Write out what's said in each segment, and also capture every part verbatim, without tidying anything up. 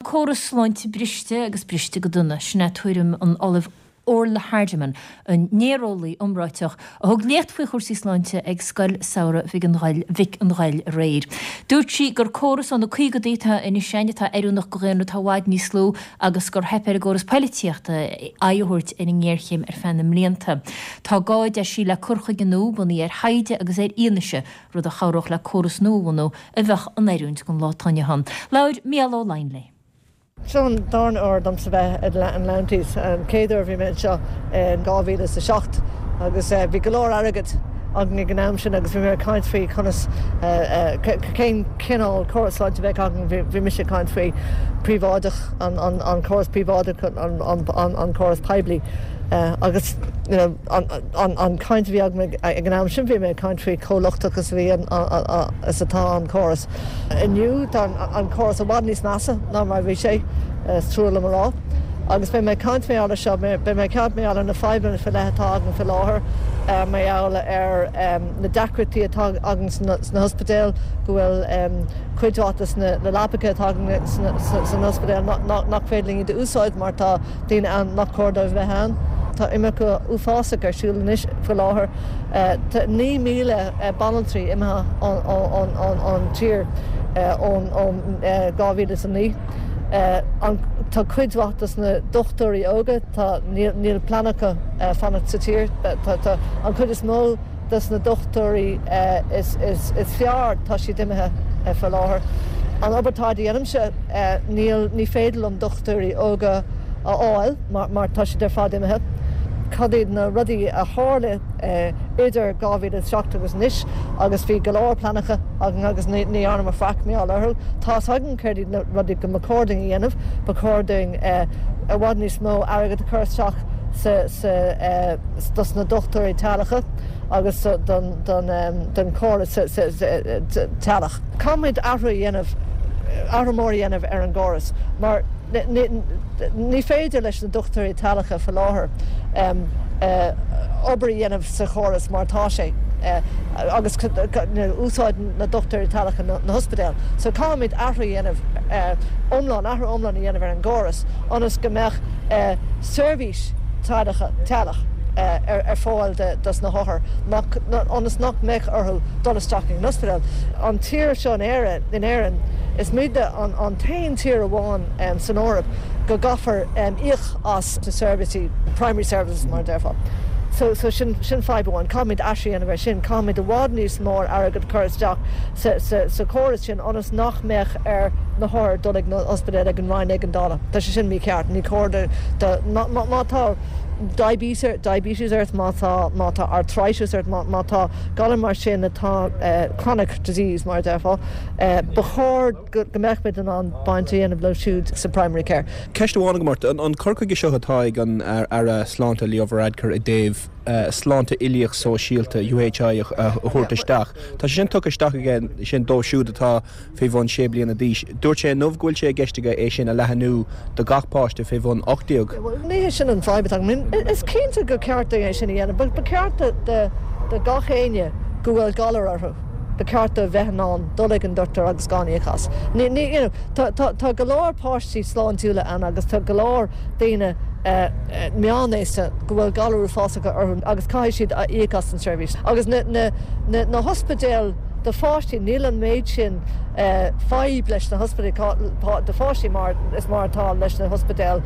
córas sláinte briste agus briste go dona sin é tuairim an Ollaimh Orla Hardiman an néareolaí iomráiteach a thug léacht faoi chúrsaí sláinte ag scoil samhraidh Mhic an Ghoill Mhic an Ghoill aréir. Dúirt sí gur córas ó na caogaidí atá anois ann atá oiriúnach do dhaonra atá i bhfad níos lú agus gur theip ar an gcóras polaitíochta aghaidh a thabhairt ar an ngéarchéim ar feadh na mblianta. Tá gá a deir sí le cur chuige nua bunaithe ar thaighde agus ar fhianaise rud a chabhródh le córas nua a bhunú a bheadh in oiriúint don lá atá inniu ann. Labhair Mícheál Ó Laighin léi. Seo an darna huair domsa bheith ag an Leinster an chéad uair bhí mé anseo in dhá mhíle is a seacht agus bhí go leor airgead againn ag an am sin agus bhí mé ag caint faoi conas cén cineál córas sláinte a bheadh againn bhí mise ag caint faoi príobháideach an córas príobháideach an córas poiblí agus you know, an, an, an caint a bhí agam ag an am sin bhí mé ag caint faoi chomh lochtach is bhí is atá an córas. Inniu tá an córas i bhfad níos measa ná mar bhí sé is trua liom a rá. Agus beidh mé ag caint mar gheall air seo, beidh mé ag caint mar gheall ar na fadhbanna faoi leith atá againn faoi láthair, mar gheall ar na deacrachtaí atá againn sna hospidéil, go bhfuil cuid mhaith de na leapacha atá againn san ospidéal nach féidir linn iad a úsáid mar tá daoine ann nach cóir dóibh bheith ann. Tá imirce uafásach ar siúl anois faoi láthair. Tá naoi míle banaltraí imithe ón tír ón dhá mhíle is a naoi. Tá cuid mhaith dos na dochtúirí óga, tá níl plean acu fanacht sa tír. Tá an chuid is mó dos na dochtúirí is is fearr tá siad imithe faoi láthair. An obair atá a dhéanaimse níl ní féidir liom dochtúirí óga a fháil mar tá siad ar fad imithe. Cad iad na rudaí a tharla idir dhá mhíle is seacht agus anois agus bhí go leor pleananna againn agus ní dhearnamar faic mar gheall orthu. Tá againn céard iad na rudaí go mba chóir dúinn a dhéanamh, ba chóir dúinn i bhfad níos mó airgead a chur isteach sa dos na dochtúirí teaghlaigh agus don don chóras teaghlach. Caithfimid athrú a dhéanamh athrú mór a dhéanamh ar an gcóras mar ní féidir leis na dochtúirí teaghlaigh faoi láthair obair a dhéanamh sa chóras mar tá sé agus úsáid na dochtúirí teaghlaigh na hospidéil. So caithfimid athrú a dhéanamh iomlán athrú iomlán a dhéanamh ar an gcóras ionas go mbeadh seirbhís teaghlach ar fáil dos na hothair ionas nach mbeadh orthu dul isteach in ospidéal. An tír seo in Éire in Éirinn is muide an t-aon tír amháin san Eoraip go gcaithfear íoc as na seirbhísí primary services mar a déarfá. So, so sin, sin fadhb amháin, caithfimid athrú a dhéanamh ar sin, caithfimid i bhfad níos mó airgead a chur isteach sa, sa, sa chóras sin ionas nach mbeadh ar na hothair dul ag na ospidéal ag an Roinn Éigeandála. Tá sé sin mícheart, ní cóir do, do má, má, má tá diabetes, diabetes ort, má tá, má tá arthritis ort, má, má tá galar mar sin atá uh, chronic disease mar a déarfá, uh, ba chóir go, go mbeadh muid in ann baint a dhéanamh leo siúd sa primary care. Ceist amháin agam ort an cur chuige seo atá ag an Aire Sláinte Leo Varadkar i dtaobh uh, sláinte uilíoch sóisialta UHI a thabhairt isteach. Tá sé sin tugtha isteach aige sin dóibh siúd atá fé bhun sé bliana d'aois. Dúirt sé inniu go bhfuil sé i gceist aige é sin a leathnú do gach páiste fé bhun ocht déag. Ní hé sin an fadhb atá Is cinnte gur ceart é sin a dhéanamh, ba ceart do gach éinne go bhfuil galar orthu. Ba ceart a bheith in ann dul ag an dochtúir agus gan íoc as. Tá go leor páistí sláintiúla ann agus tá go leor daoine meánaosta go bhfuil galar uafásacha orthu agus caithfidh siad a íoc as an seirbhís. Agus na, na, na, na hospidéil do pháistí níl an méid sin fadhb leis na hospidéil do pháistí mar is mar atá leis na hospidéil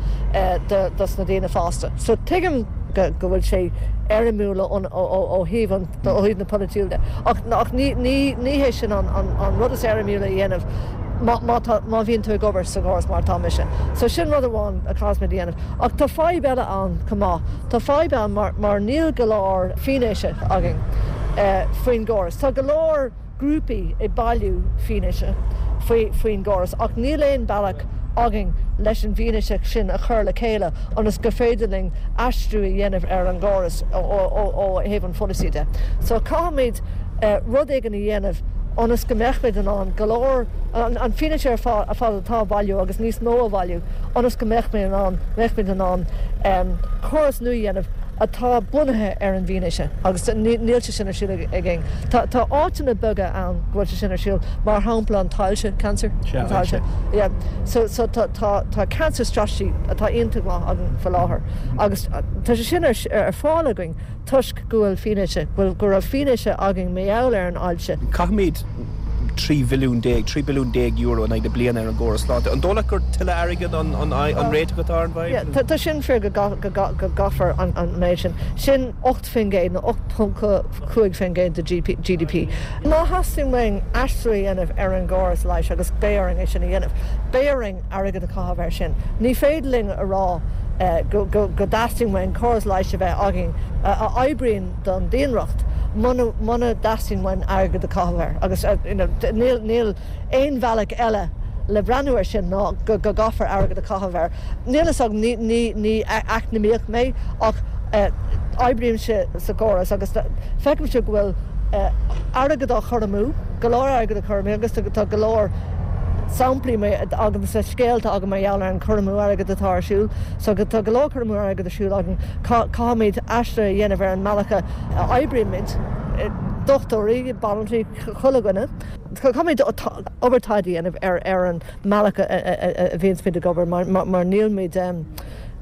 dos na daoine fásta. So tuigim go bhfuil sé éirimiúil ó thaobh ó thaobh na polaitíochta. Ach ach ní ní ní hé sin an, an, an rud is éirimiúla a dhéanamh má, má, má bhíonn tú ag obair sa chóras mar atá mise. So sin rud amháin a chaithfimid a dhéanamh. Ach tá fadhb eile ann chomh maith. Tá fadhb ann mar, mar níl go leor fianaise againn uh, faoin gcóras. Tá go leor grúpaí ag bailiú fianaise faoi faoin gcóras ach níl aon bealach againn leis an bhfianaise sin a chur le chéile ionas go féidir linn aistriú a dhéanamh ar an gcóras ó thaobh an pholasaí de. So caithfimid uh, rud éigin a dhéanamh ionas go mbeimid in ann go leor an fianaise ar fad atá á bhailiú agus níos mó a bhailiú ionas go mbeimid in ann mbeimid in ann um, córas nua a dhéanamh atá bunaithe ar an bhfianaise agus níl sé sin ar siúl againn. Tá tá áiteanna beaga ann go bhfuil sé sin ar siúl mar shampla an t-ailse cancer ailse. Yeah. So so tá tá tá cancer strategy atá iontach maith againn faoi láthair agus tá sé sin ar ar fáil againn toisc go bhfuil fianaise bhfuil go raibh fianaise againn mar gheall ar an ailse. Caithimid trí bhilliún déag, trí billiún déag euro in aghaidh na bliana ar an gcóras sláinte. An dóigh leat gur tuilleadh airgid an an an réiteach atá ar an bhfadhb? Tá tá sin fíor go go go gcaithfear an an méid sin. Sin ocht faoin gcéad nó ocht ponc cúig faoin gcéad de GDP. Má theastaíonn uainn aistriú a dhéanamh ar an gcóras leighis agus beidh orainn é sin a dhéanamh, beidh orainn airgead a chaitheamh air sin. Ní féidir linn a rá go go go dteastaíonn uainn córas leighis a bheith againn a oibríonn don daonracht muna muna dteastaíonn uainn airgead a chaitheamh air agus you know níl níl aon bhealach eile le breathnú air sin ná go go gcaithfear airgead a chaitheamh air. Níl a fhios agam ní ní ní eacnamaíoch mé ach oibrímse sa gcóras agus feicimse go bhfuil airgead á chur amú, go leor airgead á chur amú agus tá go leor samplaí agam sa scéalta agam mar gheall ar an cur amú airgead atá ar siúl. So tá go leor cur amú airgead ar siúl againn caithfimid aistriú a dhéanamh ar an mbealach a oibrímid dochtúirí, banaltraí, chuile dhuine. Caithfimid obair taighde a dhéanamh ar ar an mbealach a bhíonns muid ag obair mar mar nílmid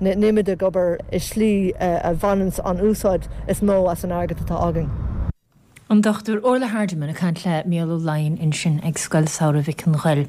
nílmid ag obair i slí a bhaineann an úsáid is mó as an airgead atá againn. An Dr Orla Hardiman ag caint le Mícheál Ó Laighin ansin ag Scoil Samhraidh Mhic an Ghoill.